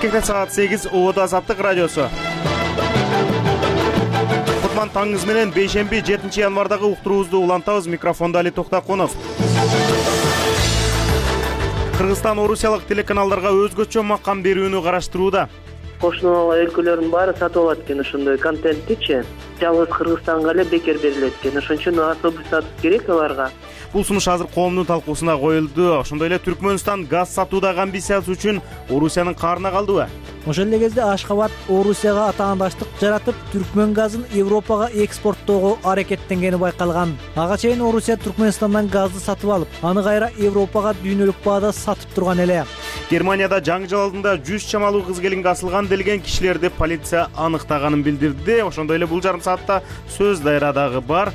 Бишкекте саат 8 Оода Азаттык радиосу. Кутман таңыңыз менен бейшемби 7 январдагы уктуруубузду улантабыз. Микрофонда Али Токтакунов. Кыргызстан орусиялык телеканалдарга өзгөчө макам берүүнү караштырууда. Кошуна өлкөлөрдүн баары сатып алат экен ошондой контенттичи. Жалгыз Кыргызстанга эле бекер берилет экен. Ошон үчүн особый статус керек аларга. Бул сунуш азыр коомдун талкуусуна коюлду. Ошондой эле Түркмөнстан газ сатуудагы амбициясы үчүн Орусиянын каарына калдыбы? Ошол эле кезде Ашхабад Орусияга атаандаштык жаратып, Түркмөн газын Европага экспорттоого аракеттенгени байкалган. Ага чейин Орусия Түркмөнстандан газды сатып алып, аны кайра Европага дүйнөлүк баада сатып турган эле. Германияда жаңы алдында 100 чамалуу кыз-келинге асылган делген кишилерди полиция аныктаганын билдирди. Ошондой эле бул жарым саатта сөз дайрадагы бар.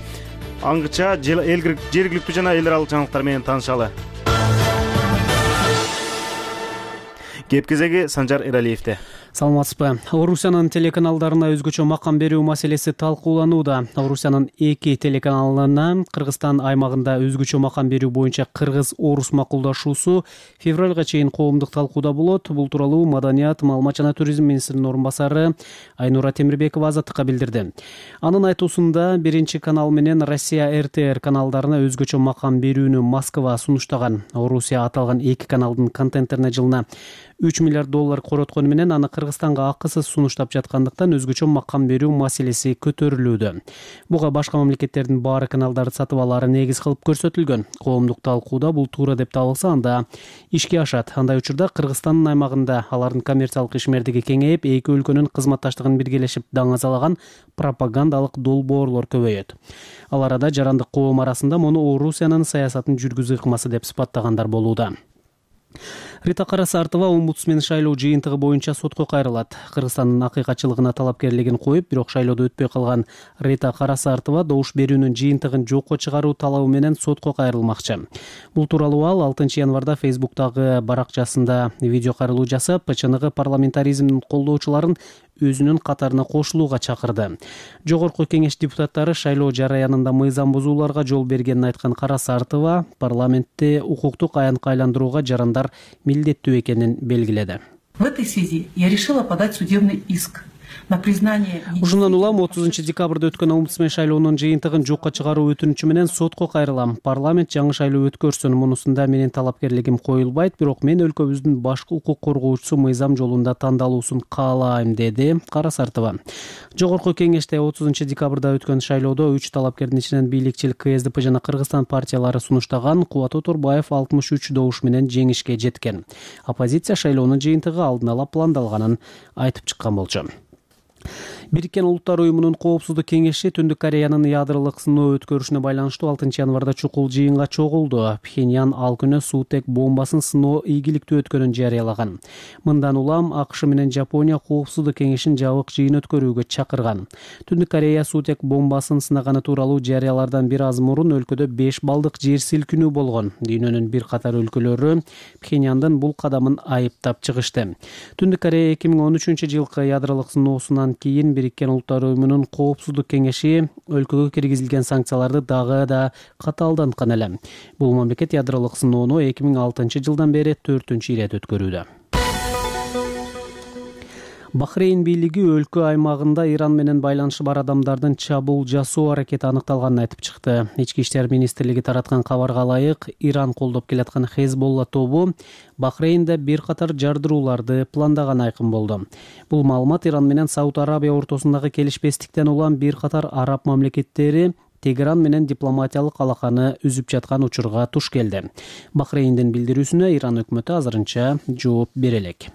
Аңгыча жергиликтүү жана эл аралык жаңылыктар менен таанышалы. Кеп кезеги Санжар Эралиевде. Саламатсызбы. Орусиянын телеканалдарына өзгөчө макам берүү маселеси талкууланууда. Орусиянын 2 телеканалына Кыргызстан аймагында өзгөчө макам берүү боюнча кыргыз-орус макулдашуусу февралга чейин коомдук талкууда болот. Бул тууралуу Маданият, маалымат жана туризм министринин орун басары Айнура Темирбекова Азаттыкка билдирди. Анын айтуусунда 1 канал менен Россия РТР каналдарына өзгөчө макам берүүнү Москва сунуштаган. Орусия аталган 2 каналдын контенттерине жылына $3 миллиард короткону менен аны Кыргызстанга акысыз сунуштап жаткандыктан өзгөчө макам берүү маселеси көтөрүлүүдө. Буга башка мамлекеттердин баары каналдарды сатып алаары негиз кылып көрсөтүлгөн. Коомдук талкууда бул туура деп табылса, анда ишке ашат. Андай учурда Кыргызстандын аймагында алардын коммерциялык ишмердиги кеңейип, 2 өлкөнүн кызматташтыгын биргелешип даңазалаган пропагандалык долбоорлор көбөйөт. Ал арада жарандык коом арасында муну Орусиянын саясатын жүргүзүү ыкмасы деп сыпаттагандар болууда. Рита Карасартова омбудсмен шайлоо жыйынтыгы боюнча сотко кайрылат. Кыргызстандын акыйкатчылыгына талапкерлигин коюп, бирок шайлоодо өтпөй калган Рита Карасартова добуш берүүнүн жыйынтыгын жокко чыгаруу талабы менен сотко кайрылмакчы. Бул тууралуу ал 6 январда Фейсбуктагы баракчасында видео кайрылуу жасап, ПЧНГ парламентаризмдин колдоочуларын өзүнүн катарына кошулууга чакырды. Жогорку кеңеш депутаттары шайлоо жараянында мыйзам бузууларга жол бергенин айткан Карасартова парламентте укуктук аянтка айландырууга жарандар милдеттүү экенин белгиледи. В этой связи я решила подать судебный иск на признание. Ушундан улам 30 декабрда өткөн омбудсмен шайлоонун жыйынтыгын жокко чыгаруу өтүнүчү менен сотко кайрылам. Парламент жаңы шайлоо өткөрсүн, мунусунда менин талапкерлигим коюлбайт, бирок мен өлкөбүздүн башкы укук коргоочусу мыйзам жолунда тандалуусун каалайм, деди Карасартова. Жогорку кеңеште 30 декабрда өткөн шайлоодо 3 талапкердин ичинен бийликчил КСДП жана Кыргызстан партиялары сунуштаган Кубат Оторбаев 63 добуш менен жеңишке жеткен. Оппозиция шайлоонун жыйынтыгы алдын ала пландалганын айтып чыккан болчу. Бириккен Улуттар уюмунун коопсуздук кеңеши Түндүк Кореянын ядролук сыноо өткөрүшүнө байланыштуу 6 январда чукул жыйынга чогулду. Пхеньян ал күнү суутек бомбасын сыноо ийгиликтүү өткөнүн жарыялаган. Мындан улам АКШ менен Жапония коопсуздук кеңешин жабык жыйын өткөрүүгө чакырган. Түндүк Корея суутек бомбасын сынаганы тууралуу жарыялардан бир аз мурун өлкөдө 5 балдык жер силкинүү болгон. Дүйнөнүн бир катар өлкөлөрү Пхеньяндын бул кадамын айыптап чыгышты. Түндүк Корея 2013 жылкы ядролук сыноосунан кийин Бириккен Улуттар уюмунун коопсуздук кеңеши өлкөгө киргизилген санкцияларды дагы да катаалданткан эле. Бул мамлекет ядролук сыноону 2006 жылдан бери 4-үчү ирет өткөрүүдө. Бахрейн бийлиги өлкө аймагында Иран менен байланышы бар адамдардын чабуул жасоо аракети аныкталганын айтып чыкты. Ички иштер министрлиги тараткан кабарга ылайык, Иран колдоп келаткан Хезболла тобу Бахрейнде бир катар жардырууларды пландаганы айкын болду. Бул маалымат Иран менен Сауд Арабия ортосундагы келишпестиктен улам бир катар араб мамлекеттери Тегеран менен дипломатиялык алаканы үзүп жаткан учурга туш келди. Бахрейндин билдирүүсүнө Иран өкмөтү азырынча жооп бере элек.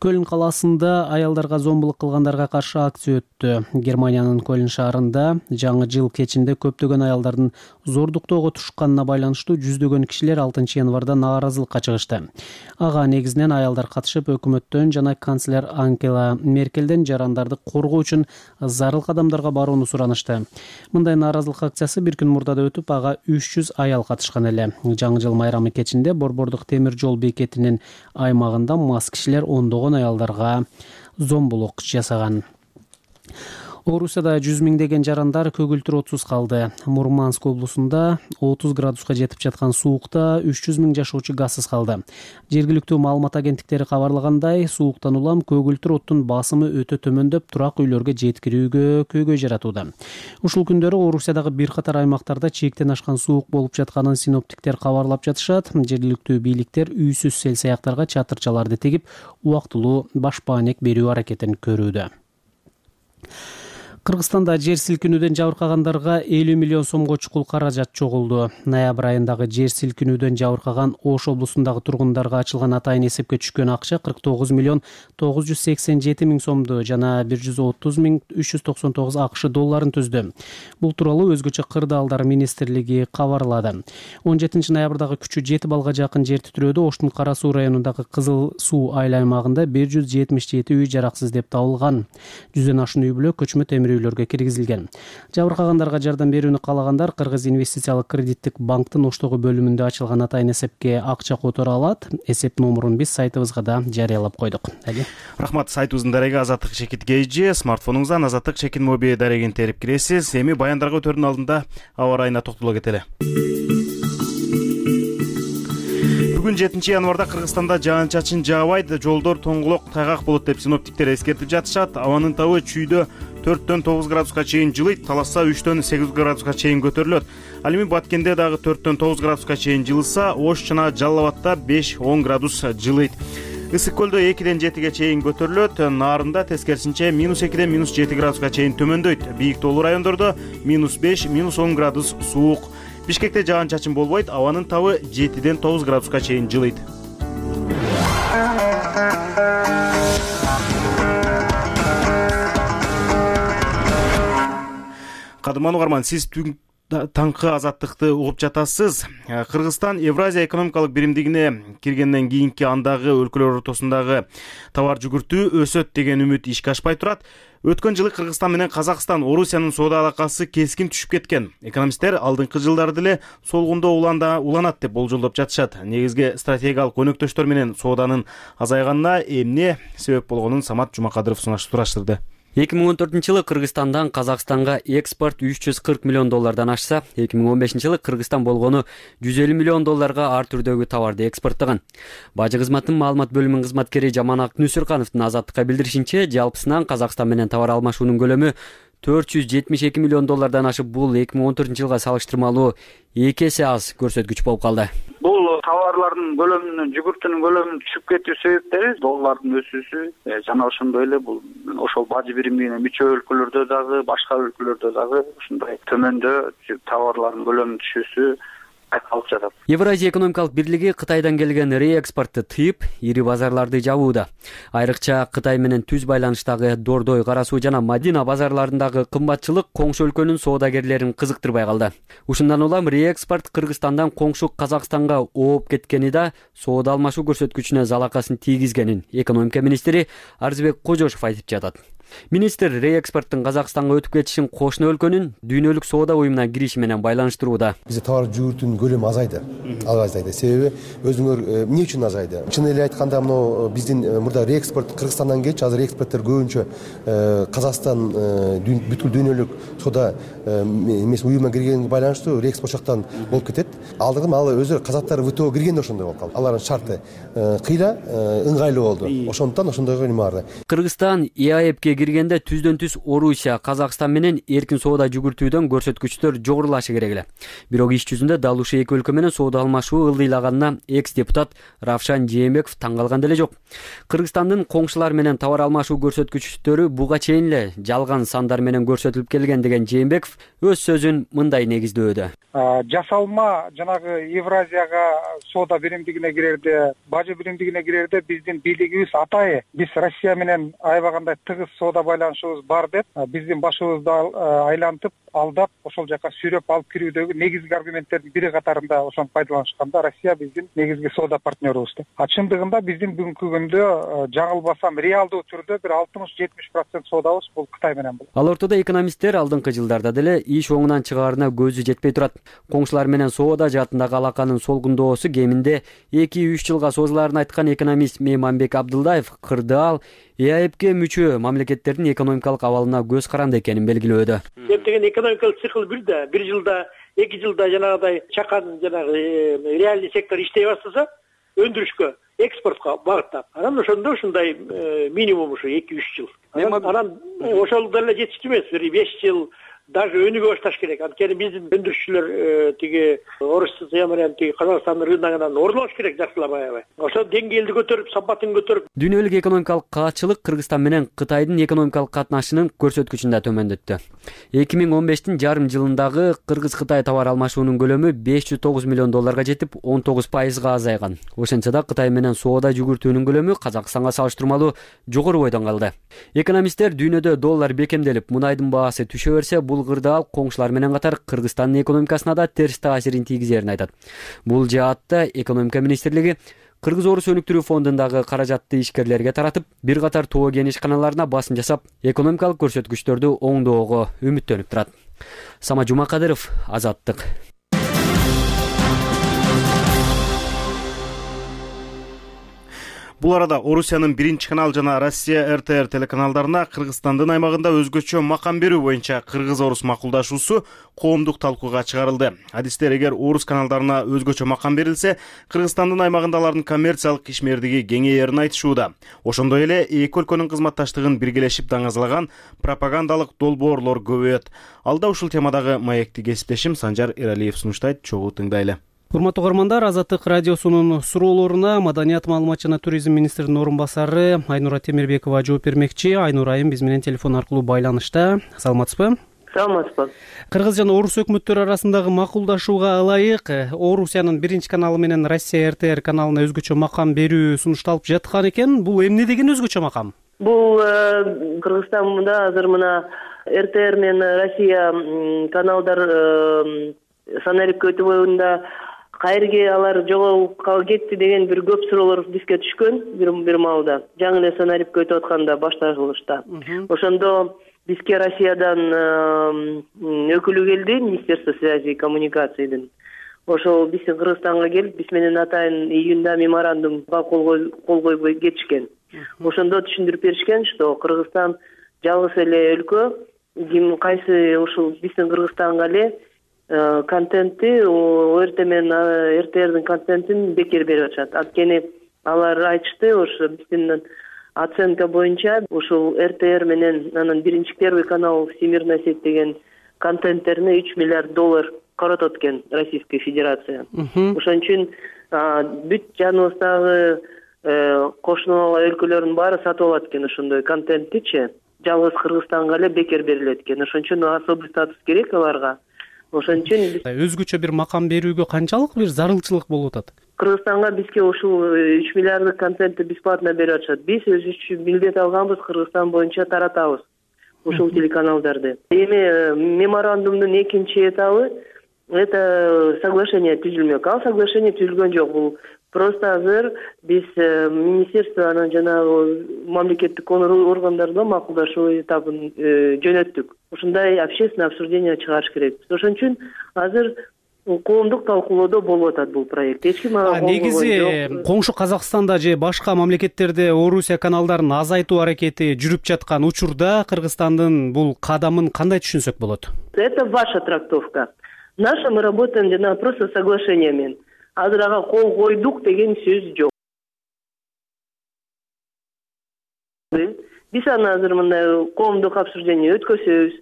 Көлн каласында аялдарга зомбулук кылгандарга каршы акция өттү. Германиянын Көлн шаарында жаңы жыл кечинде көптөгөн аялдардын зордуктоого тушканына байланыштуу жүздөгөн кишилер 6 январда нааразылыкка чыгышты. Ага негизинен аялдар катышып, өкмөттөн жана канцлер Ангела Меркелден жарандарды коргоо үчүн зарыл кадамдарга барууну суранышты. Мындай нааразылык акциясы бир күн мурда да өтүп, ага 300 аял катышкан эле. Жаңы жыл майрамы кечинде Борбордук темир жол бекетинин аймагында мас кишилер ондогон аялдарга зомбулук жасаган. Орусияда 100 миңдеген жарандар көгүлтүр отсуз калды. Мурманск облусунда 30 градуска жетип жаткан суукта 300 миң жашоочу газсыз калды. Жергиликтүү маалымат агенттиктери кабарлагандай, сууктан улам көгүлтүр оттун басымы өтө төмөндөп, турак үйлөргө жеткирүүгө көйгөй жаратууда. Ушул күндөрү Орусиядагы бир катар аймактарда чектен ашкан суук болуп жатканын синоптиктер кабарлап жатышат. Жергиликтүү бийликтер үйсүз сел-саяктарга чатырчаларды тегип, убактылуу башпаанек берүү аракетин көрүүдө. Кыргызстанда жер силкинүүдөн жабыркагандарга 50 миллион сомго чукул каражат чогулду. Ноябрь айындагы жер силкинүүдөн жабыркаган Ош облусундагы тургундарга ачылган атайын эсепке түшкөн акча 49 миллион 987 миң сомду жана 130 миң 399 АКШ долларын түздү. Бул тууралуу өзгөчө кырдаалдар министрлиги кабарлады. 17 ноябрдагы күчү 7 балга жакын жер титирөөдө Оштун Кара Суу районундагы Кызыл Суу айыл аймагында 177 үй жараксыз деп табылган. 100дөн ашуун үй бүлө көчмө темир үйлөргө киргизилген. Жабыркагандарга жардам берүүнү каалагандар Кыргыз инвестициялык кредиттик банктын Оштогу бөлүмүндө ачылган атайын эсепке акча которо алат. Эсеп номурун биз сайтыбызга да жарыялап койдук. Рахмат, сайтыбыздын дареги Азаттык Чекит гейджи, смартфонуңуздан Азаттык Чекит моби дарегин терип киресиз. Эми баяндарга өтөрдүн алдында аба ырайына токтоло кетели. Бүгүн 7 январда Кыргызстанда жаан-чачын жаабайт, жолдор тоңголок, тайгак болот деп синоптиктер эскертип жатышат. Абанын табы чүйдө 4дөн 9 градуска чейин жылыйт, Таласта 3дөн 8 градуска чейин көтөрүлөт. Ал эми Баткенде дагы 4дөн 9 градуска чейин жылыса, Ош жана Жалал Абадта 5-10 градус жылыйт. Ысык көлдө 2ден 7ге чейин көтөрүлөт, Нарында тескерисинче -2ден -7 градуска чейин төмөндөйт. Бийик тоолуу райондордо -5, -10 градус суук. Бишкекте жаан-чачын болбойт, абанын табы 7ден 9 градуска чейин жылыйт. Кадырман угарман, сиз таңкы азаттыкты угуп жатасыз. Кыргызстан Евразия экономикалык биримдигине киргенден кийинки андагы өлкөлөр ортосундагы товар жүгүртүү өсөт деген үмүт ишке ашпай турат. Өткөн жылы Кыргызстан менен Казакстан Орусиянын соода алакасы кескин түшүп кеткен. Экономисттер алдыңкы жылдары деле солгундоо уланат деп болжолдоп жатышат. Негизги стратегиялык өнөктөштөр менен сооданын азайганына эмне себеп болгонун Самат Жумакадыров сураштырды. 2014-жылы Кыргызстандан Казакстанга экспорт 340 миллион доллардан ашса, 2015-жылы Кыргызстан болгону 150 миллион долларга ар түрдөгү товарды экспорттогон. Бажы кызматтын маалымат бөлүмүнүн кызматкери Жаманак Нүсүркановдун Азаттыкка билдиришинче, жалпысынан Казакстан менен товар алмашуунун көлөмү 472 миллион доллардан ашып, бул 2014-жылга салыштырмалуу 2 эсе аз көрсөткүч болуп калды. Бул товарлардын көлөмүнүн, жүгүртүүнүн көлөмүнүн түшүп кетүү себептери доллардын өсүүсү жана ошондой эле бул ошол бажы биримдигине мүчө өлкөлөрдө дагы, башка өлкөлөрдө дагы ушундай төмөндө товарлардын көлөмүнүн түшүүсү кайталып жатат. Евразия экономикалык бирлиги Кытайдан келген реэкспортты тыйып, ири базарларды жабууда. Айрыкча Кытай менен түз байланыштагы Дордой, Кара Суу жана Мадина базарларындагы кымбатчылык коңшу өлкөнүн соодагерлерин кызыктырбай калды. Ушундан улам реэкспорт Кыргызстандан коңшу Казакстанга ооп кеткени да соода алмашуу көрсөткүчүнө залакасын тийгизгенин экономика министри Арзыбек Кожошов айтып жатат. Министр реэкспорттун Казакстанга өтүп кетишин кошуна өлкөнүн дүйнөлүк соода уюмуна кириши менен байланыштырууда. Бизде товар жүгүртүүнүн көлөмү азайды. Азайды. Себеби өзүңөр эмне үчүн азайды? Чын эле айтканда, мына биздин мурда реэкспорт Кыргызстандан келчү, азыр экспорттор көбүнчө Казакстан бүткүл дүйнөлүк соода эмес уюмуна киргенге байланыштуу реэкспорт жактан болуп кетет. Алдыргы ал өзү казактар ВТО киргенде ошондой болуп калды. Алардын шарты кыйла ыңгайлуу болду. Ошондон ошондойго неме барды. Кыргызстан ЕАЭПке киргенде түздөн түз Орусия, Казакстан менен эркин соода жүгүртүүдөн көрсөткүчтөр жогорулашы керек эле. Бирок иш жүзүндө дал ушул эки өлкө менен соода алмашуу ылдыйлаганына экс-депутат Равшан Жээнбеков таң калган деле жок. Кыргызстандын коңшулар менен товар алмашуу көрсөткүчтөрү буга чейин эле жалган сандар менен көрсөтүлүп келген деген Жээнбеков өз сөзүн мындай негиздөөдө. Жасалма жанагы Евразияга соода биримдигине кирерде, бажы биримдигине кирерде биздин бийлигибиз атайы биз Россия менен аябагандай тыгыз соода байланышыбыз бар деп биздин башыбызды айлантып, алдап, ошол жака сүйрөп алып кирүүдөгү негизги аргументтердин бири катарында ошону пайдаланышканда Россия биздин негизги соода партнерубуз деп. Чындыгында биздин бүгүнкү күндө жаңылбасам реалдуу түрдө бир 60-70% соодабыз бул Кытай менен болот. Ал ортодо экономисттер алдыңкы жылдарда деле иш оңунан чыгаарына көзү жетпей турат. Коңшулар менен соода жаатындагы алаканын солгундоосу кеминде 2-3 жылга созулаарын айткан экономист Мейманбек Абдылдаев кырдаал ЕАЭПке мүчө мамлекет мамлекеттердин экономикалык абалына көз каранды экенин белгилөөдө. Эптеген экономикалык цикл бир жылда, 2 жылда жанагыдай чакан реальный сектор иштей баштаса, өндүрүшкө, экспортко багыттап, анан ошондо ушундай минимум ушу 2-3 жыл. Анан ошол деле жетиштүү эмес, 5 жыл даже өнүгө башташ керек. Анткени биздин өндүрүшчүлөр тиги Орусия менен тиги Казакстандын рыногунан орнолош керек жакшылап аябай. Ошо деңгээлди көтөрүп, сапатын көтөрүп. Дүйнөлүк экономикалык каатчылык Кыргызстан менен Кытайдын экономикалык катнашынын көрсөткүчүн да төмөндөттү. 2015-тин жарым жылындагы Кыргыз-Кытай товар алмашуунун көлөмү $509 миллион жетип, 19% азайган. Ошентсе да Кытай менен соода жүгүртүүнүн көлөмү Казакстанга салыштырмалуу жогору бойдон калды. Экономисттер дүйнөдө доллар бекемделип, мунайдын баасы түшө берсе, бул кырдаал коңшулар менен катар Кыргызстандын экономикасына да терс таасирин тийгизерин айтат. Бул жаатта экономика министрлиги Кыргыз-Орус өнүктүрүү фондундагы каражатты ишкерлерге таратып, бир катар тоо кен ишканаларына басым жасап, экономикалык көрсөткүчтөрдү оңдоого үмүттөнүп турат. Сама Жумакадыров, Азаттык. Бул арада Орусиянын 1-канал жана Россия РТР телеканалдарына Кыргызстандын аймагында өзгөчө макам берүү боюнча Кыргыз-Орус макулдашуусу коомдук талкууга чыгарылды. Адистер эгер Орус каналдарына өзгөчө макам берилсе, Кыргызстандын аймагында алардын коммерциялык ишмердиги кеңейерин айтышууда. Ошондой эле эки өлкөнүн кызматташтыгын биргелешип даңазалаган пропагандалык долбоорлор көбөйөт. Алда ушул темадагы маекти кесиптешим Санжар Эралиев сунуштайт, чогуу тыңдайлы. Урматтуу угармандар, Азаттык радиосунун суроолоруна маданият, маалымат жана туризм министринин орун басары Айнура Темирбекова жооп бермекчи. Айнура айым биз менен телефон аркылуу байланышта. Саламатсызбы? Саламатсызбы. Кыргыз жана Орус өкмөттөрү арасындагы макулдашууга ылайык Орусиянын 1-каналы менен Россия РТР каналына өзгөчө макам берүү сунушталып жаткан экен. Бул эмне деген өзгөчө макам? Бул Кыргызстанда азыр мына РТР менен Россия каналдар санарип боюнда кайерге алар жоголуп кетти деген бир көп суроолор бизге түшкөн бир маалда. Жаңы эле санарипке өтүп атканда башталышта. Ошондо бизге Россиядан өкүлү келди, Министерство связи и коммуникациядан. Ошол биздин Кыргызстанга келип, биз менен атайын июнда меморандумга кол койбой кетишкен. Ошондо түшүндүрүп беришкен, что Кыргызстан жалгыз эле өлкө, кайсы ушул биздин Кыргызстанга эле контентти ОРТ менен РТРдин контентин бекер берип атышат. Анткени алар айтышты, ошо биздин оценка боюнча ушул РТР менен анан первый канал Всемирная сеть деген контенттерине $3 миллиард коротот экен Российская Федерация. Ошон үчүн бүт жаныбыздагы кошуна өлкөлөрдүн баары сатып алат экен ошондой контенттичи. Жалгыз Кыргызстанга эле бекер берилет экен. Ошон үчүн особый статус керек аларга. Ошон үчүн өзгөчө бир макам берүүгө канчалык бир зарылчылык болуп атат? Кыргызстанга бизге ушул 3 миллиарддык контентти бесплатно берип атышат. Биз өзүбүз үчүн милдет алганбыз, Кыргызстан боюнча таратабыз ушул телеканалдарды. Эми меморандумдун экинчи этабы это соглашение түзүлмөк. Ал соглашение түзүлгөн жок. Бул просто азыр биз министерствонун жана мамлекеттик органдарда макулдашуу этабын жөнөттүк. Ушундай общественное обсуждение чыгарыш керек. Ошон үчүн азыр коомдук талкуулоодо болуп атат бул проект. Эч ким негизи коңшу Казакстанда же башка мамлекеттерде Орусия каналдарын азайтуу аракети жүрүп жаткан учурда Кыргызстандын бул кадамын кандай түшүнсөк болот? Это ваша трактовка. Наша мы работаем жана просто соглашение менен. Азыр ага кол койдук деген сөз жок. Биз аны азыр мындай коомдук обсуждение өткөзөбүз.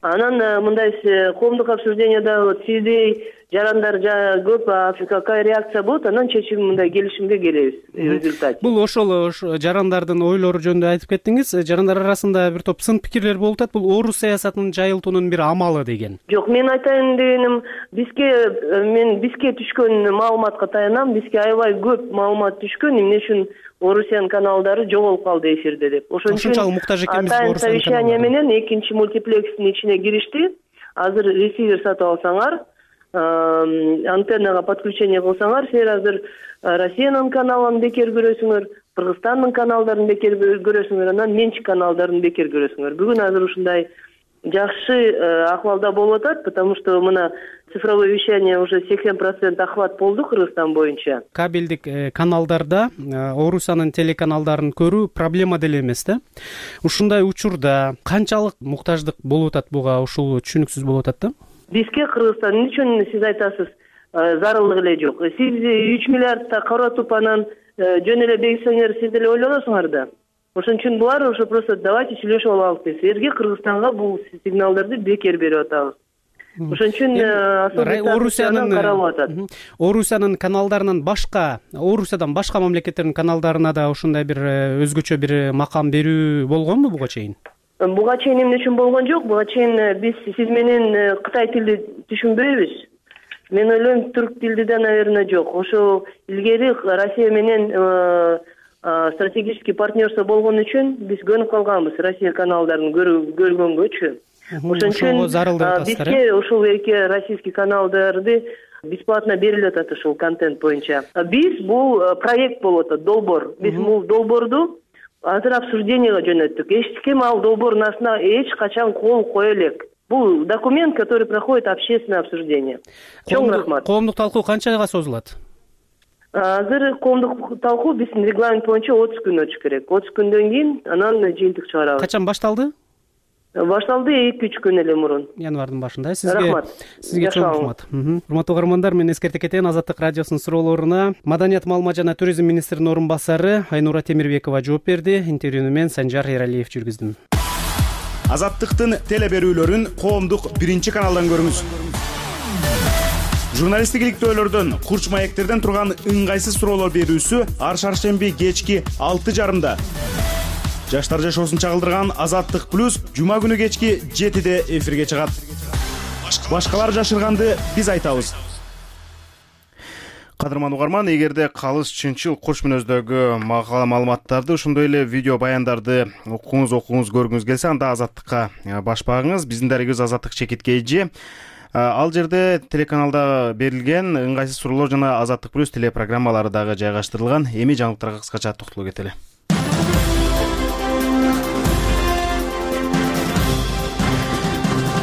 Анан мындай коомдук обсуждениеда сиздей жарандар көп какая реакция болот, анан чечим мындай келишимге келебиз результат. Бул ошол жарандардын ойлору жөнүндө айтып кеттиңиз. Жарандар арасында бир топ сын пикирлер болуп атат. Бул Орус саясатынын жайылтуунун бир амалы деген. Жок, мен айтайын дегеним, бизге түшкөн маалыматка таянам. Бизге аябай көп маалымат түшкөн, эмне үчүн Орусиянын каналдары жоголуп калды эфирде деп. Ошон үчүн муктаж экенбиз Орусиянын совещание менен экинчи мультиплекстин ичине киришти. Азыр ресивер сатып алсаңар, антеннага подключение кылсаңар, силер азыр Россиянын каналын бекер көрөсүңөр, Кыргызстандын каналдарын бекер көрөсүңөр, анан менчик каналдарын бекер көрөсүңөр. Бүгүн азыр ушундай жакшы акыбалда болуп атат, потому что мына цифровое вещание уже 80% охват болду Кыргызстан боюнча. Кабелдик каналдарда Орусиянын телеканалдарын көрүү проблема деле эмес да. Ушундай учурда канчалык муктаждык болуп атат буга, ушул түшүнүксүз болуп атат да. Бизге Кыргызстан эмне үчүн сиз айтасыз, зарылдык эле жок. Сиз 3 миллиардта каратып анан жөн эле бекитсеңер, сиз деле ойлоносуңар да. Ошон үчүн булар уже просто давайте сүйлөшүп алалы деп. Силерге Кыргызстанга бул сигналдарды бекер берип атабыз. Ошон үчүн Орусиянын каналдарынан башка, Орусиядан башка мамлекеттердин каналдарына да ушундай бир өзгөчө бир макам берүү болгонбу буга чейин? Буга чейин эмне үчүн болгон жок. Буга чейин биз сиз менен Кытай тилди түшүнбөйбүз. Мен ойлойм, түрк тилди да, наверное, жок. Ошо илгери Россия менен стратегический партнерство болгон үчүн биз көнүп калганбыз Россия каналдарын көргөнгөчү. Ошон үчүн бизге ушул эки российский каналдарды бесплатно берилип атат ушул контент боюнча. Биз бул проект болуп атат, долбоор. Биз бул долбоорду азыр обсуждениеге жөнөттүк. Эч ким ал долбоордун астына эч качан кол кое элек. Бул документ, который проходит общественное обсуждение. Чоң рахмат. Коомдук талкуу канчага созулат? Азыр коомдук талкуу биздин регламент боюнча 30 күн өтүш керек. 30 күндөн кийин анан жыйынтык чыгарабыз. Качан башталды? Башталды 2-3 күн эле мурун. Январдын башында. Сизге чоң рахмат. Урматтуу угармандар, мен эскертип кетейин, Азаттык радиосунун суроолоруна Маданият, маалымат жана туризм министринин орун басары Айнура Темирбекова жооп берди. Интервьюну мен Санжар Эралиев жүргүздүм. Азаттыктын теле берүүлөрүн коомдук 1-каналдан көрүңүз. Журналисттик иликтөөлөрдөн, курч маектерден турган ыңгайсыз суроолор берүүсү ар шаршемби кечки 6:30. Жаштар жашоосун чагылдырган Азаттык плюс жума күнү кечки 7-де эфирге чыгат. Башкалар жашырганды биз айтабыз. Кадырман угарман, эгерде калыс чынчыл курч мүнөздөгү макала маалыматтарды, ошондой эле видео баяндарды окуңуз көргүңүз келсе, анда Азаттыкка баш багыңыз. Биздин дарегибиз Азаттык ЧКТ. Ал жерде телеканалда берилген ыңгайсыз суроолор жана Азаттык плюс телепрограммалары дагы жайгаштырылган. Эми жаңылыктарга кыскача токтолуп кетели.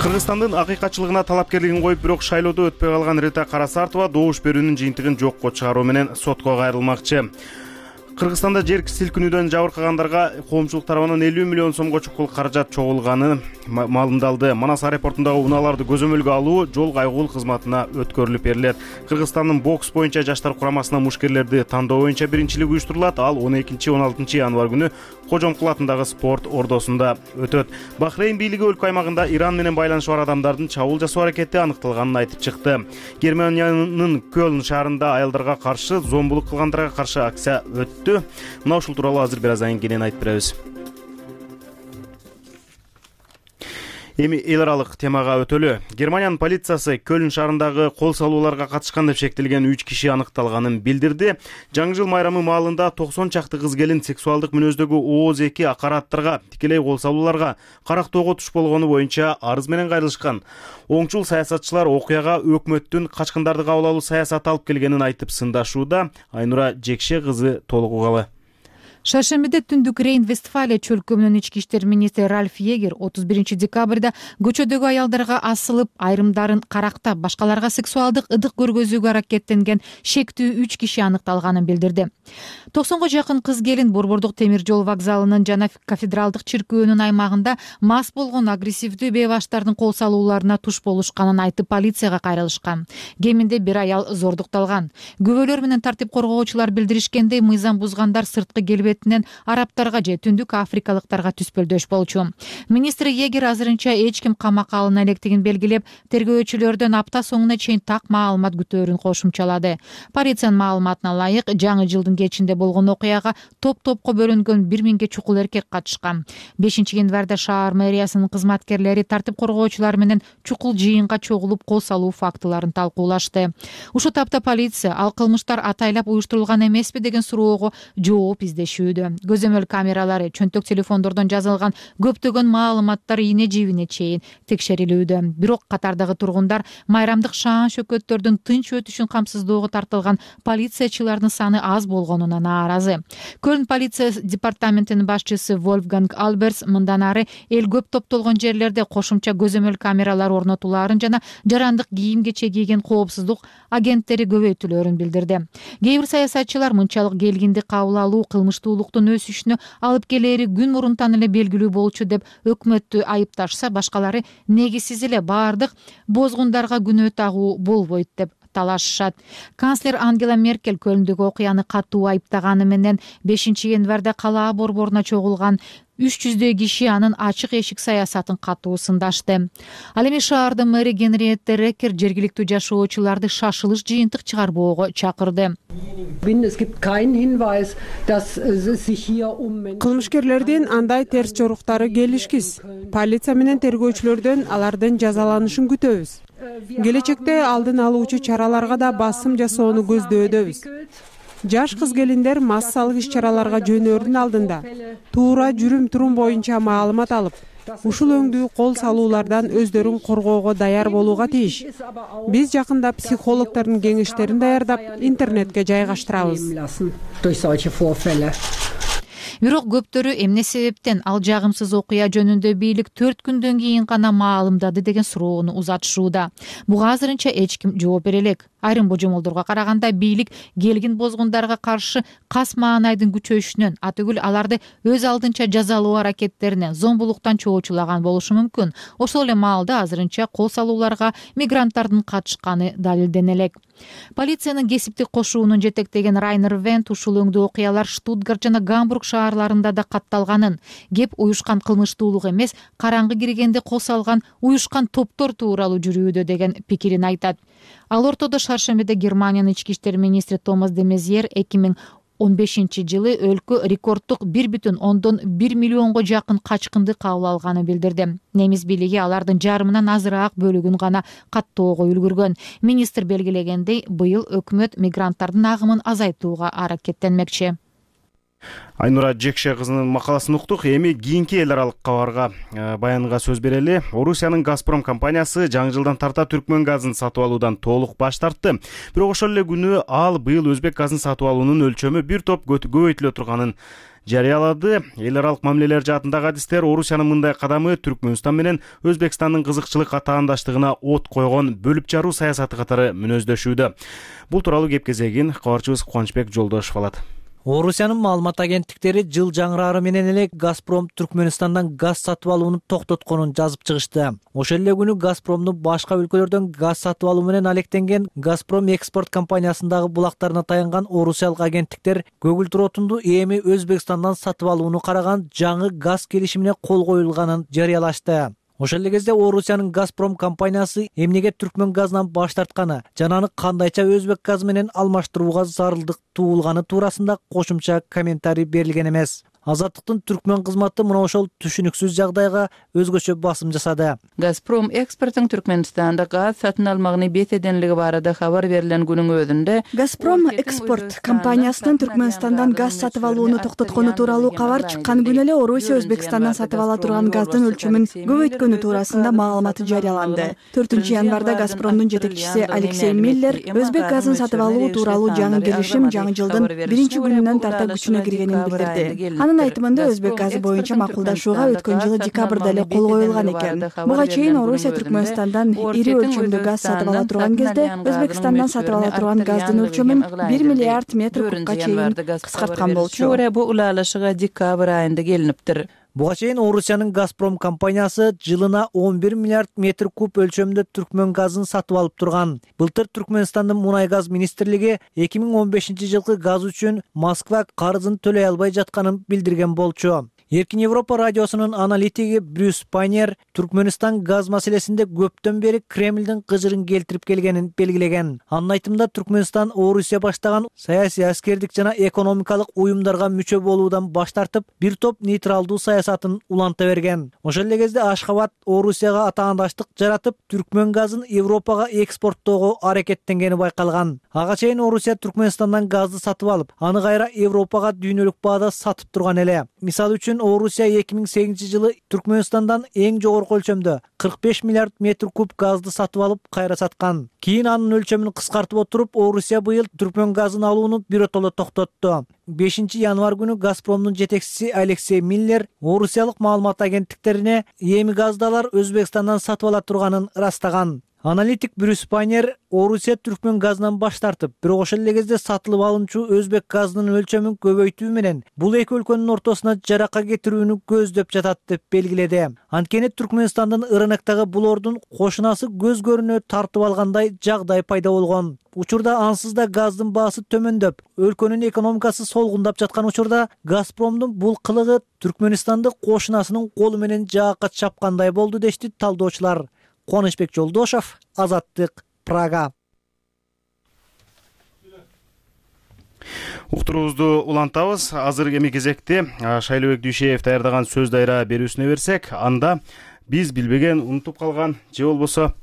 Кыргызстандын акыйкатчылыгына талапкерлигин коюп, бирок шайлоодо өтпөй калган Рита Карасартова добуш берүүнүн жыйынтыгын жокко чыгаруу менен сотко кайрылмакчы. Кыргызстанда жер силкинүүдөн жабыркагандарга коомчулук тарабынан 50 миллион сомго чукул каражат чогулганы маалымдалды. Манас аэропортундагы унааларды көзөмөлгө алуу жол кайгуул кызматына өткөрүлүп берилет. Кыргызстандын бокс боюнча жаштар курамасына мушкерлерди тандоо боюнча биринчилик уюштурулат. Ал 12-16 январь күнү Кожомкул атындагы спорт ордосунда өтөт. Бахрейн бийлиги өлкө аймагында Иран менен байланышы бар адамдардын чабуул жасоо аракети аныкталганын айтып чыкты. Германиянын Кёлн шаарында аялдарга каршы зомбулук кылгандарга каршы акция өттү. Мына ушул тууралуу азыр бир аз айын кенен айтып беребиз. Эми эл аралык темага өтөлү. Германиянын полициясы Кёлн шаарындагы кол салууларга катышкан деп шектелген 3 киши аныкталганын билдирди. Жаңы жыл майрамы маалында 90 чакты кыз келин сексуалдык мүнөздөгү ооз-2 акараттарга, тикелей кол салууларга, карактоого туш болгону боюнча арыз менен кайрылышкан. Оңчул саясатчылар окуяга өкмөттүн качкындарды кабыл алуу саясаты алып келгенин айтып сындашууда. Айнура Жекше кызы толук угалы. Шаршембиде түндүк Рейн-Вестфалия чөлкөмүнүн ички иштер министри Ральф Егер 31 декабрда көчөдөгү аялдарга асылып, айрымдарын карактап, башкаларга сексуалдык ыдык көргөзүүгө аракеттенген шектүү 3 киши аныкталганын билдирди. 90га жакын кыз келин Борбордук темир жол вокзалынын жана кафедралдык чиркөөнүн аймагында мас болгон агрессивдүү бейбаштардын кол салууларына туш болушканын айтып полицияга кайрылышкан. Кеминде бир аял зордукталган. Күбөлөр менен тартип коргоочулар билдиришкендей, мыйзам бузгандар сырткы келбетинен арабтарга же түндүк африкалыктарга түспөлдөш болчу. Министр Егер азырынча эч ким камакка алына электигин белгилеп, тергөөчүлөрдөн апта соңуна чейин так маалымат күтөөрүн кошумчалады. Полициянын маалыматына ылайык, жаңы жылдын кечинде болгон окуяга топ-топко бөлүнгөн 1000ге чукул эркек катышкан. 5-январда шаар мэриясынын кызматкерлери тартип коргоочулар менен чукул жыйынга чогулуп кол салуу фактыларын талкуулашты. Ушул тапта полиция ал кылмыштар атайлап уюштурулган эмеспи деген суроого жооп издешүү жүргүзүшүүдө. Көзөмөл камералары, чөнтөк телефондордон жазылган көптөгөн маалыматтар ийне жибине чейин текшерилүүдө. Бирок катардагы тургундар майрамдык шаан шөкөттөрдүн тынч өтүшүн камсыздоого тартылган полициячылардын саны аз болгонуна нааразы. Көлн полиция департаментинин башчысы Вольфганг Альберс мындан ары эл көп топтолгон жерлерде кошумча көзөмөл камералар орнотулаарын жана жарандык кийим кече кийген коопсуздук агенттери көбөйтүлөрүн билдирди. Кээ бир саясатчылар мынчалык келгинди кабыл алуу кылмыштуулуктун өсүшүнө алып келери күн мурунтан эле белгилүү болчу деп өкмөттү айыпташса, башкалары негизсиз эле баардык бозгундарга күнөө тагуу болбойт деп талашышат. Канцлер Ангела Меркель Көлндөгү окуяны катуу айыптаганы менен 5-январда калаа борборуна чогулган 300 киши анын ачык эшик саясатын катуу сындашты. Ал эми шаардын мэри Генриетте Рекер жергиликтүү жашоочуларды шашылыш жыйынтык чыгарбоого чакырды. Кылмышкерлердин андай терс жоруктары келишкиз. Полиция менен тергөөчүлөрдөн алардын жазаланышын күтөбүз. Келечекте алдын алуучу чараларга да басым жасоону көздөбүз. Жаш кыз-келиндер массалык иш-чараларга жөнөөрдүн алдында туура жүрүм-турум боюнча маалымат алып, ушул өңдүү кол салуулардан өздөрүн коргоого даяр болууга тийиш. Биз жакында психологдордун кеңештерин даярдап, интернетке жайгаштырабыз. Бирок көптөрү эмне себептен ал жагымсыз окуя жөнүндө бийлик 4 күндөн кийин гана маалымдады деген суроону узатышууда. Буга азырынча эч ким жооп бере элек. Айрым божомолдорго караганда бийлик келгин бозгундарга каршы кас маанайдын күчөйүшүнөн, атүгүл аларды өз алдынча жазалоо аракеттеринен, зомбулуктан чоочулаган болушу мүмкүн. Ошол эле маалда азырынча кол салууларга мигранттардын катышканы далилдене элек. Полициянын кесиптик кошуунун жетектеген Райнер Вент ушул өңдүү окуялар Штутгарт жана Гамбург шаарларында да катталганын, кеп уюшкан кылмыштуулук эмес, караңгы киргенде кол салган уюшкан топтор тууралуу жүрүүдө деген пикирин айтат. Ал ортодо шаршембиде Германиянын ички иштер министри Томас де Мезьер 2015-жылы өлкө рекорддук 1,1 миллионго жакын качкынды кабыл алганын билдирди. Немис бийлиги алардын жарымынан азыраак бөлүгүн гана каттоого үлгүргөн. Министр белгилегендей, быйыл өкмөт мигранттардын агымын азайтууга аракеттенмекчи. Айнура Жекше кызынын макаласын уктук. Эми кийинки эл аралык кабарга баянга сөз берели. Орусиянын Газпром компаниясы жаңы жылдан тарта түркмөн газын сатып алуудан толук баш тартты. Бирок ошол эле күнү ал быйыл өзбек газын сатып алуунун өлчөмү бир топ көбөйтүлө турганын жарыялады. Эл аралык мамилелер жаатындагы адистер Орусиянын мындай кадамы Түркмөнстан менен Өзбекстандын кызыкчылык атаандаштыгына от койгон бөлүп жаруу саясаты катары мүнөздөшүүдө. Бул тууралуу кеп кезегин кабарчыбыз Кубанычбек Жолдошов алат. Орусиянын маалымат агенттиктери жыл жаңырары менен эле Газпром Түркмөнстандан газ сатып алууну токтотконун жазып чыгышты. Ошол эле күнү Газпромдун башка өлкөлөрдөн газ сатып алуу менен алектенген Газпром экспорт компаниясындагы булактарына таянган орусиялык агенттиктер көгүлтүр отунду эми Өзбекстандан сатып алууну караган жаңы газ келишимине кол коюлганын жарыялашты. Ошол эле кезде Орусиянын Газпром компаниясы эмнеге түркмөн газынан баш тартканы жана аны кандайча өзбек газы менен алмаштырууга зарылдык туулганы туурасында кошумча комментарий берилген эмес. Азаттыктын түркмөн кызматы мына ошол түшүнүксүз жагдайга өзгөчө басым жасады. Газпром экспорттун Түркмөнстанда газ сатын алмагыны бетеденлиги барыда кабар берилген күнүн өзүндө Газпром экспорт компаниясынын Түркмөнстандан газ сатып алууну токтоткону тууралуу кабар чыккан күнү эле Орусия Өзбекстандан сатып ала турган газдын өлчөмүн көбөйткөнү туурасында маалымат жарыяланды. 4-январда Газпромдун жетекчиси Алексей Миллер өзбек газын сатып алуу тууралуу жаңы келишим жаңы жылдын 1-күнүнөн тарта күчүнө киргенин билдирди. Анын айтымында өзбек газы боюнча макулдашууга өткөн жылы декабрда эле кол коюлган экен. Буга чейин Орусия Түркмөнстандан ири өлчөмдө газ сатып ала турган кезде Өзбекстандан сатып ала турган газдын өлчөмүн 1 миллиард метр кубка чейин кыскарткан болчу. Бул улалышыга декабрь айында келиниптир. Буга чейин Орусиянын Газпром компаниясы жылына 11 миллиард метр куб өлчөмдө түркмөн газын сатып алып турган. Былтыр Түркмөнстандын мунай газ министрлиги 2015-жылкы газ үчүн Москва карызын төлөй албай жатканын билдирген болчу. Эркин Европа радиосунун аналитиги Брюс Пайнер Түркмөнстан газ маселесинде көптөн бери Кремлдин кыжырын келтирип келгенин белгилеген. Анын айтымында Түркмөнстан Орусия баштаган саясий, аскердик жана экономикалык уюмдарга мүчө болуудан баш тартып, бир топ нейтралдуу саясатын уланта берген. Ошол эле кезде Ашхабад Орусияга атаандаштык жаратып, Түркмөн газын Европага экспорттоого аракеттенгени байкалган. Ага чейин Орусия Түркмөнстандан газды сатып алып, аны кайра Европага дүйнөлүк баада сатып турган эле. Мисалы үчүн Орусия 2008-жылы Түркмөнстандан эң жогорку өлчөмдө 45 миллиард метр куб газды сатып алып, кайра саткан. Кийин анын өлчөмүн кыскартып отуруп, Орусия быйыл Түркмөн газын алууну биротоло токтотту. 5 январь күнү Газпромдун жетекчиси Алексей Миллер орусиялык маалымат агенттиктерине эми газды алар Өзбекстандан сатып ала турганын ырастаган. Аналитик Брюс Пайнер Орусия Түркмөн газынан баш тартып, бирок ошол эле кезде сатылып алынчу өзбек газынын өлчөмүн көбөйтүү менен бул эки өлкөнүн ортосуна жарака кетирүүнү көздөп жатат деп белгиледи. Анткени Түркмөнстандын рыноктогу булордун кошунасы көз көрүнө тартып алгандай жагдай пайда болгон. Учурда ансыз да газдын баасы төмөндөп, өлкөнүн экономикасы солгундап жаткан учурда Газпромдун бул кылыгы Түркмөнстанды кошунасынын колу менен жаакка чапкандай болду дешти талдоочулар. Кубанычбек Жолдошов, Азаттык, Прага. Уктуруубузду улантабыз. Азыр эми кезекте Шайлообек Дүйшеев даярдаган сөз дайра берүүсүнө берсек, анда биз билбеген, унутуп калган же болбосо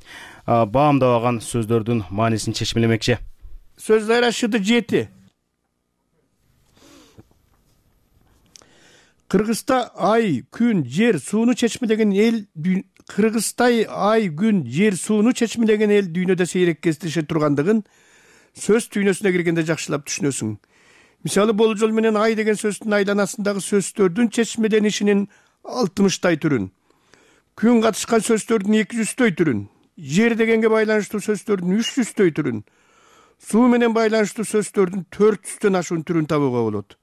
баамдабаган сөздөрдүн маанисин чечмелемекчи. Сөз дайра шыды 7. Кыргызста ай, күн, жер, сууну чечмелеген эл Кыргызстай ай, күн, жер, сууну чечмелеген эл дүйнөдө сейрек кездеше тургандыгын сөз түйнөсүнө киргенде жакшылап түшүнөсүң. Мисалы, болжол менен ай деген сөздүн айланасындагы сөздөрдүн чечмеленишинин 60 түрүн, күн катышкан сөздөрдүн 200 түрүн, жер дегенге байланыштуу сөздөрдүн 300 түрүн, суу менен байланыштуу сөздөрдүн 400 ашуун түрүн табууга болот.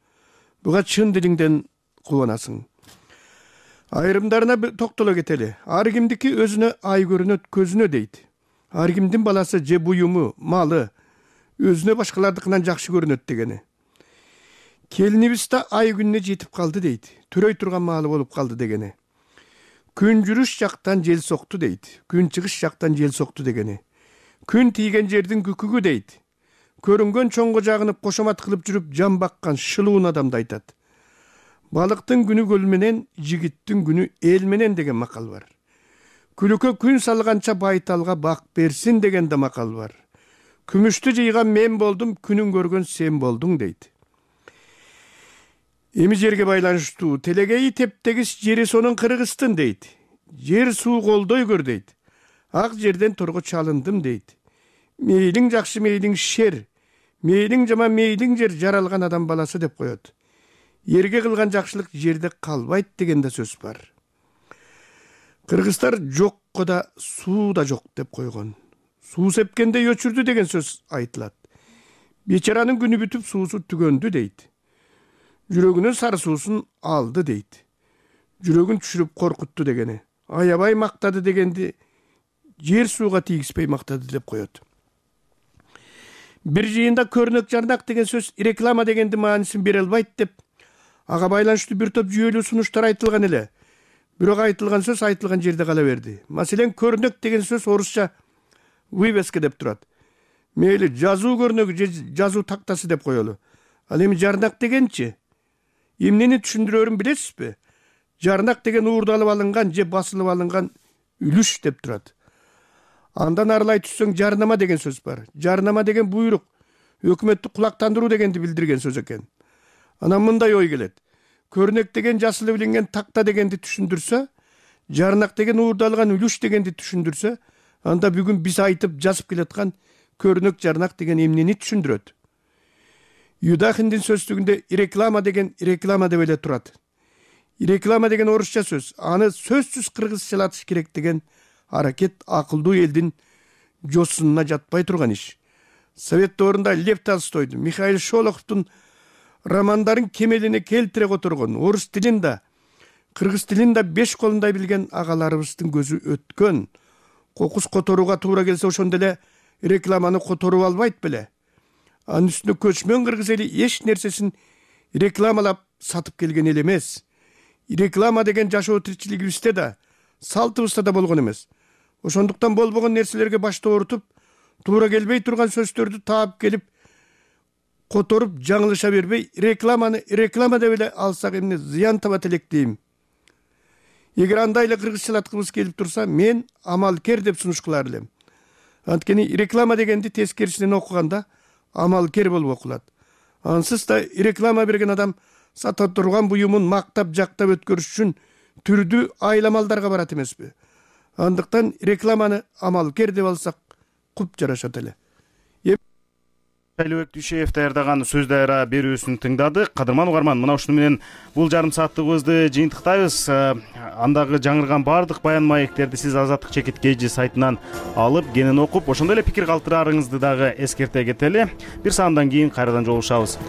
Буга чын дилиңден кубанасың. Айрымдарына токтоло кетели. Ар кимдики өзүнө ай көрүнөт, көзүнө дейт. Ар кимдин баласы же буюму, малы өзүнө башкалардыкынан жакшы көрүнөт дегени. Келинибиз да ай күнүнө жетип калды дейт. Төрөй турган маалы болуп калды дегени. Күн жүрүш жактан жел сокту дейт. Күн чыгыш жактан жел сокту дегени. Күн тийген жердин күкүгү дейт. Көрүнгөн чоңго жагынып кошомат кылып жүрүп жан баккан шылуун адамды айтат. Балыктын күнү көл менен, жигиттин күнү эл менен деген макал бар. Күлүккө күн салганча байталга бак берсин деген да макал бар. Күмүштү жыйган мен болдум, күнүн көргөн сен болдуң дейт. Эми жерге байланыштуу телегейи тептегис жери сонун Кыргыздын дейт. Жер суу колдой көр дейт. Ак жерден торго чалындым дейт. Мейлиң жакшы, мейлиң шер, мейлиң жаман, мейлиң жер жаралган адам баласы деп коет. Ерге кылган жакшылык жерде калбайт деген да сөз бар. Кыргыздар жокко да суу да жок деп койгон. Суу сепкенде өчүрдү деген сөз айтылат. Бечаранын күнү бүтүп суусу түгөндү дейт. Жүрөгүнүн сары суусун алды дейт. Жүрөгүн түшүрүп коркутту дегени. Аябай мактады дегенди жер сууга тийгизбей мактады деп коет. Бир жыйында көрнөк жарнак деген сөз реклама дегенди маанисин бере албайт деп ага байланыштуу бир топ жүйөлүү сунуштар айтылган эле. Бирок айтылган сөз айтылган жерде кала берди. Маселен, көрнөк деген сөз орусча вывеска деп турат. Мейли жазуу көрнөгү же жазуу тактасы деп коелу. Ал эми жарнак дегенчи? Эмнени түшүндүрөрүн билесизби? Жарнак деген уурдалып алынган же басылып алынган үлүш деп турат. Андан арылай түссөң жарнама деген сөз бар. Жарнама деген буйрук, өкмөттү кулактандыруу дегенди билдирген сөз экен. Анан мындай ой келет. Көрнөк деген жасылып иленген такта дегенди түшүндүрсө, жарнак деген уурдалган үлүш дегенди түшүндүрсө, анда бүгүн биз айтып жазып келаткан көрнөк жарнак деген эмнени түшүндүрөт? Юдахиндин сөздүгүндө реклама деген реклама деп эле турат. Реклама деген орусча сөз. Аны сөзсүз кыргызчалатыш керек деген аракет акылдуу элдин жосунуна жатпай турган иш. Совет доорунда Лев Толстойдун, Михаил Шолоховдун романдарын кемелине келтире которгон, орус тилин да, кыргыз тилин да 5 колундай билген агаларыбыздын көзү өткөн. Кокус которууга туура келсе ошондо эле рекламаны которуп албайт беле? Анын үстүнө көчмөн кыргыз эли эч нерсесин рекламалап сатып келген эл эмес. реклама деген жашоо тиричилигибизде да салтыбызда да болгон эмес. Ошондуктан болбогон нерселерге башты оорутуп, туура келбей турган сөздөрдү таап келип которуп жаңылыша бербей, реклама деп эле алсак эмне зыян табат элек дейм. Эгер андай эле кыргызчалаткыбыз келип турса, мен амалкер деп сунуш кылар элем. Анткени реклама дегенди тескерисинен окуганда амалкер болуп окулат. Ансыз да реклама берген адам сата турган буюмун мактап жактап өткөрүш үчүн түрдүү айламалдарга барат эмеспи? Андыктан рекламаны амалкер деп алсак куп жарашат эле. Шайлообек Дүйшеев даярдаган сөз дайра берүүсүн тыңдадык. Кадырман угарман, мына ушуну менен бул жарым сааттыгыбызды жыйынтыктайбыз. Андагы жаңырган баардык баян маектерди сиз Азаттык чекит KG сайтынан алып, кенен окуп, ошондой эле пикир калтыраарыңызды дагы эскерте кетели. Бир саамдан кийин кайрадан жолугушабыз.